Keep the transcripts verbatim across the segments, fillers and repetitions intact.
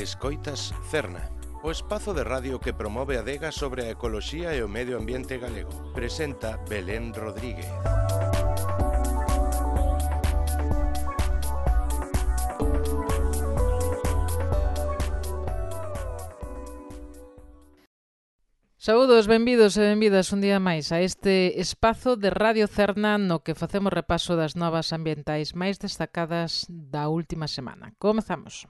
Escoitas Cerna, o espazo de radio que promove a adega sobre a ecoloxía e o medio ambiente galego. Presenta Belén Rodríguez. Saúdos, benvidos e benvidas un día máis a este espazo de Radio Cerna no que facemos repaso das novas ambientais máis destacadas da última semana. Comezamos.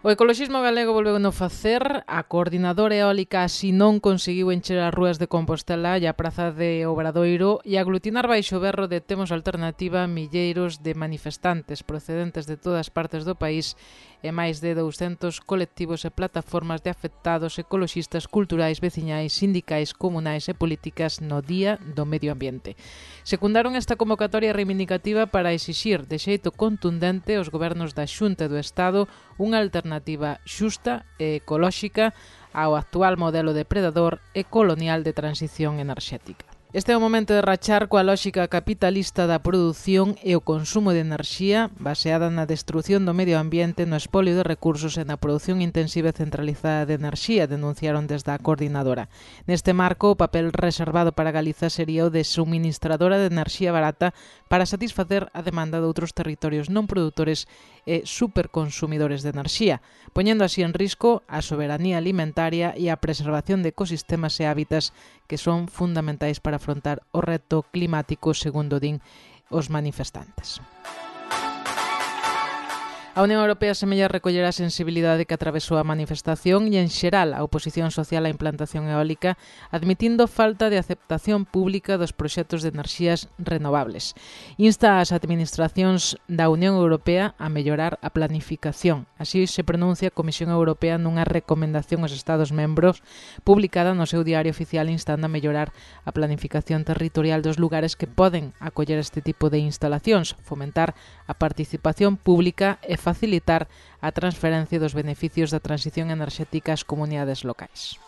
O ecoloxismo galego volveu no facer. A coordinadora eólica así non conseguiu encher as rúas de Compostela e a praza de Obradoiro e aglutinar baixo o berro de Temos Alternativa milleiros de manifestantes procedentes de todas partes do país e máis de douscentos colectivos e plataformas de afectados ecoloxistas, culturais, veciñais, sindicais, comunais e políticas no Día do Medio Ambiente. Secundaron esta convocatoria reivindicativa para exixir de xeito contundente aos gobernos da Xunta e do Estado unha alternativa xusta e ecolóxica ao actual modelo depredador e colonial de transición enerxética. Este é o momento de rachar coa lóxica capitalista da produción e o consumo de enerxía baseada na destrución do medio ambiente, no espolio de recursos e na produción intensiva e centralizada de enerxía, denunciaron desde a coordinadora. Neste marco, o papel reservado para Galiza sería o de suministradora de enerxía barata para satisfacer a demanda de outros territorios non produtores e superconsumidores de enerxía, poñendo así en risco a soberanía alimentaria e a preservación de ecosistemas e hábitats que son fundamentais para afrontar o reto climático, segundo din os manifestantes. A Unión Europea semella recoller a sensibilidade que atravesou a manifestación e, en xeral, a oposición social á implantación eólica, admitindo falta de aceptación pública dos proxectos de enerxías renovables. Insta ás administracións da Unión Europea a mellorar a planificación. Así se pronuncia a Comisión Europea nunha recomendación aos Estados membros publicada no seu diario oficial instando a mellorar a planificación territorial dos lugares que poden acoller este tipo de instalacións, fomentar a participación pública e facilitar a transferencia dos beneficios da transición enerxética ás comunidades locais.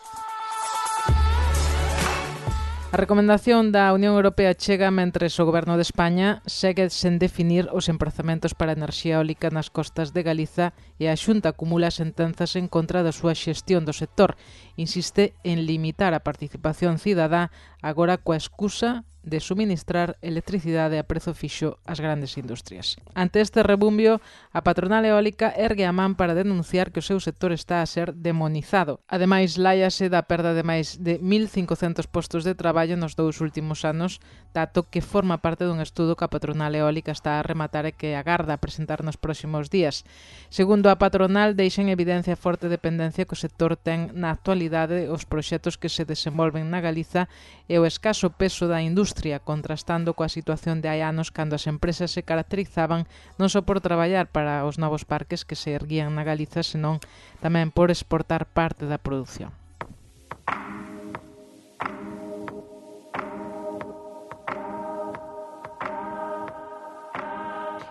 A recomendación da Unión Europea chega mentres o Goberno de España segue sen definir os emprazamentos para a enerxía eólica nas costas de Galiza e a Xunta acumula sentenzas en contra da súa xestión do sector. Insiste en limitar a participación cidadá agora coa excusa de suministrar electricidade a prezo fixo ás grandes industrias. Ante este rebumbio, a patronal eólica ergue a man para denunciar que o seu sector está a ser demonizado. Ademais, láiase da perda de máis de mil cincocentos postos de traballo nos dous últimos anos, dato que forma parte dun estudo que a patronal eólica está a rematar e que agarda presentar nos próximos días. Segundo a patronal, deixa en evidencia a forte dependencia que o sector ten na actualidade os proxectos que se desenvolven na Galiza e o escaso peso da industria, contrastando coa situación de hai anos cando as empresas se caracterizaban non só por traballar para os novos parques que se erguían na Galiza, senón tamén por exportar parte da produción.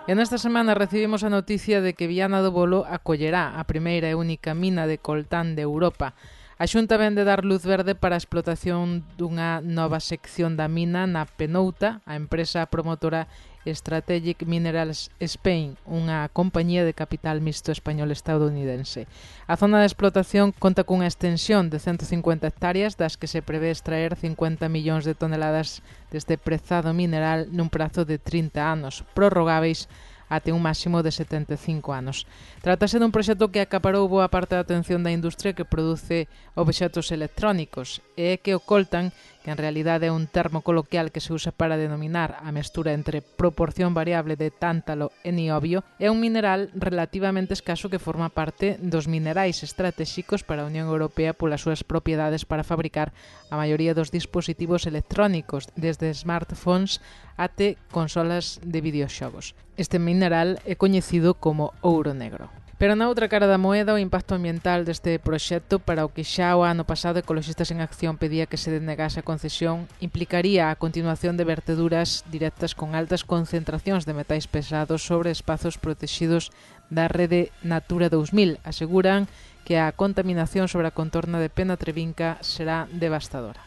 E nesta semana recibimos a noticia de que Viana do Bolo acollerá a primeira e única mina de coltán de Europa. A Xunta vén de dar luz verde para a explotación dunha nova sección da mina na Penouta, a empresa promotora Strategic Minerals Spain, unha compañía de capital mixto español-estadounidense. A zona de explotación conta cunha extensión de ciento cincuenta hectáreas das que se prevé extraer cincuenta millóns de toneladas deste prezado mineral nun prazo de trinta anos, prorrogáveis até un máximo de setenta e cinco anos. Trátase dun proxecto que acaparou boa parte da atención da industria que produce obxectos electrónicos e que o coltan, que en realidade é un termo coloquial que se usa para denominar a mestura entre proporción variable de tántalo e niobio, é un mineral relativamente escaso que forma parte dos minerais estratéxicos para a Unión Europea polas súas propiedades para fabricar a maioría dos dispositivos electrónicos, desde smartphones até consolas de videoxogos. Este mineral é coñecido como ouro negro. Pero na outra cara da moeda, o impacto ambiental deste proxecto, para o que xa o ano pasado Ecoloxistas en Acción pedía que se denegase a concesión, implicaría a continuación de verteduras directas con altas concentracións de metais pesados sobre espazos protexidos da rede Natura dous mil. Aseguran que a contaminación sobre a contorna de Penatrevinca será devastadora.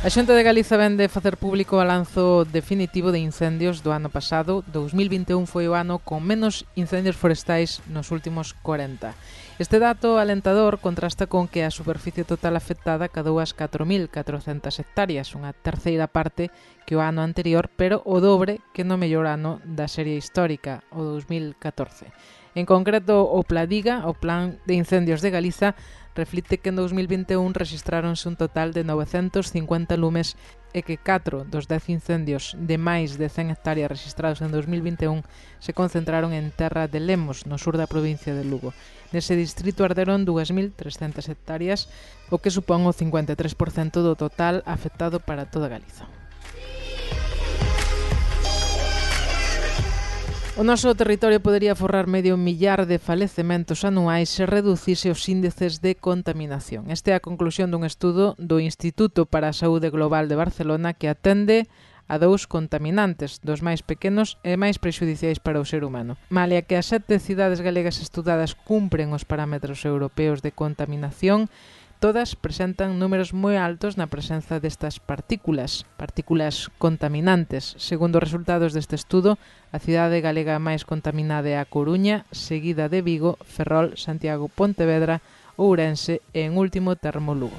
A Xunta de Galiza vende facer público o balanzo definitivo de incendios do ano pasado. dous mil vinte e un foi o ano con menos incendios forestais nos últimos corenta. Este dato alentador contrasta con que a superficie total afectada cadou as catro mil catrocentas hectáreas, unha terceira parte que o ano anterior, pero o dobre que no mellor ano da serie histórica, o dous mil catorce. En concreto, o Pladiga, o Plan de Incendios de Galiza, reflite que en dous mil vinte e un rexistráronse un total de novecentos cincuenta lumes e que catro dos dez incendios de máis de cen hectáreas registrados en dous mil vinte e un se concentraron en terra de Lemos, no sur da provincia de Lugo. Nese distrito arderon dúas mil trescentas hectáreas, o que supón o cincuenta e tres por cento do total afectado para toda Galiza. O noso territorio podería forrar medio millar de falecementos anuais se reducise os índices de contaminación. Esta é a conclusión dun estudo do Instituto para a Saúde Global de Barcelona que atende a dous contaminantes, dos máis pequenos e máis prexudiciais para o ser humano. Malia que as sete cidades galegas estudadas cumpren os parámetros europeos de contaminación, todas presentan números moi altos na presenza destas partículas, partículas contaminantes. Segundo os resultados deste estudo, a cidade galega máis contaminada é a Coruña, seguida de Vigo, Ferrol, Santiago, Pontevedra, Ourense e, en último termo, Lugo.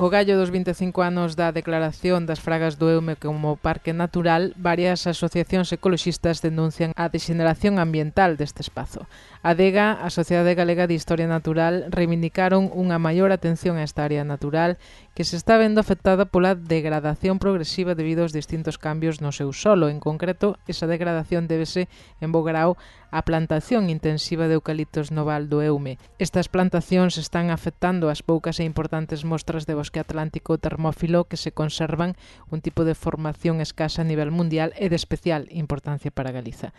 Co gallo dos vinte e cinco anos da declaración das Fragas do Eume como parque natural, varias asociacións ecoloxistas denuncian a degeneración ambiental deste espazo. A Adega, a Sociedade Galega de Historia Natural, reivindicaron unha maior atención a esta área natural que se está vendo afectada pola degradación progresiva debido aos distintos cambios no seu solo. En concreto, esa degradación débese en bo grao a plantación intensiva de eucaliptos no Val do Eume. Estas plantacións están afectando as poucas e importantes mostras de bosque atlántico termófilo que se conservan, un tipo de formación escasa a nivel mundial e de especial importancia para Galiza.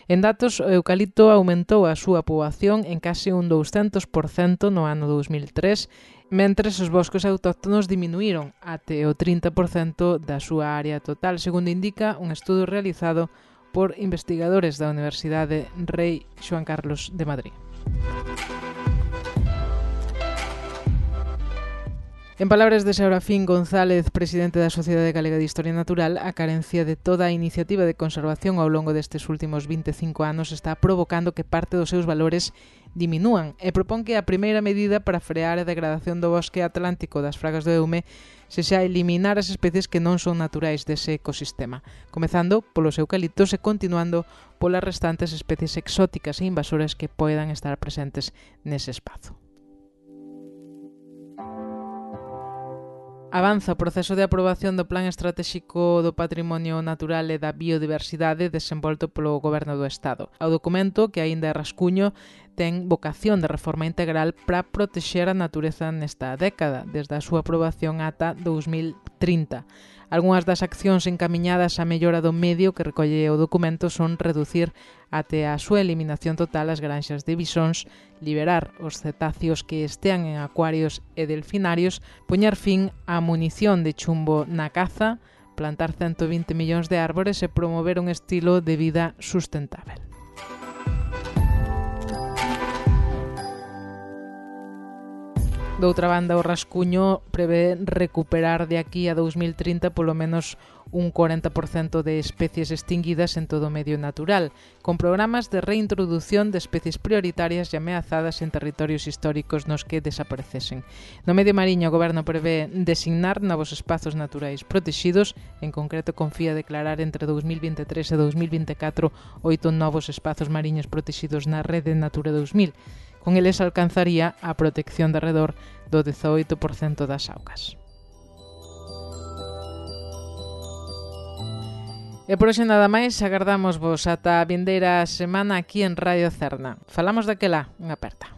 En datos, o eucalipto aumentou a súa poboación en case un douscentos por cento no ano dous mil tres, mentres os bosques autóctonos diminuíron até o trinta por cento da súa área total, segundo indica un estudo realizado por investigadores da Universidade Rei Xoán Carlos de Madrid. En palabras de Serafín González, presidente da Sociedade Galega de Historia Natural, a carencia de toda a iniciativa de conservación ao longo destes últimos vinte e cinco anos está provocando que parte dos seus valores diminúan e propón que a primeira medida para frear a degradación do bosque atlántico das Fragas do Eume sexa eliminar as especies que non son naturais dese ecosistema, comezando polos eucaliptos e continuando polas restantes especies exóticas e invasoras que poidan estar presentes nese espazo. Avanza o proceso de aprobación do Plan Estratéxico do Patrimonio Natural e da Biodiversidade desenvolto polo Goberno do Estado. O documento, que aínda é rascuño, ten vocación de reforma integral para protexer a natureza nesta década, desde a súa aprobación ata dous mil trinta. Algúnas das accións encamiñadas á mellora do medio que recolle o documento son reducir até a súa eliminación total as granxas de bisóns, liberar os cetáceos que estean en acuarios e delfinarios, poñer fin á munición de chumbo na caza, plantar ciento vinte millóns de árbores e promover un estilo de vida sustentável. Doutra banda, o rascuño prevé recuperar de aquí a dous mil trinta polo menos un cuarenta por cento de especies extinguidas en todo o medio natural, con programas de reintroducción de especies prioritarias e ameazadas en territorios históricos nos que desaparecesen. No medio mariño, o Goberno prevé designar novos espazos naturais protexidos, en concreto confía declarar entre dous mil vinte e tres e dous mil vinte e catro oito novos espazos mariños protexidos na rede Natura dous mil. Con eles alcanzaría a protección de arredor do dezaoito por cento das augas. E por hoxe nada máis, agardamos vos ata a vindeira semana aquí en Radio Cerna. Falamos daquela, unha aperta.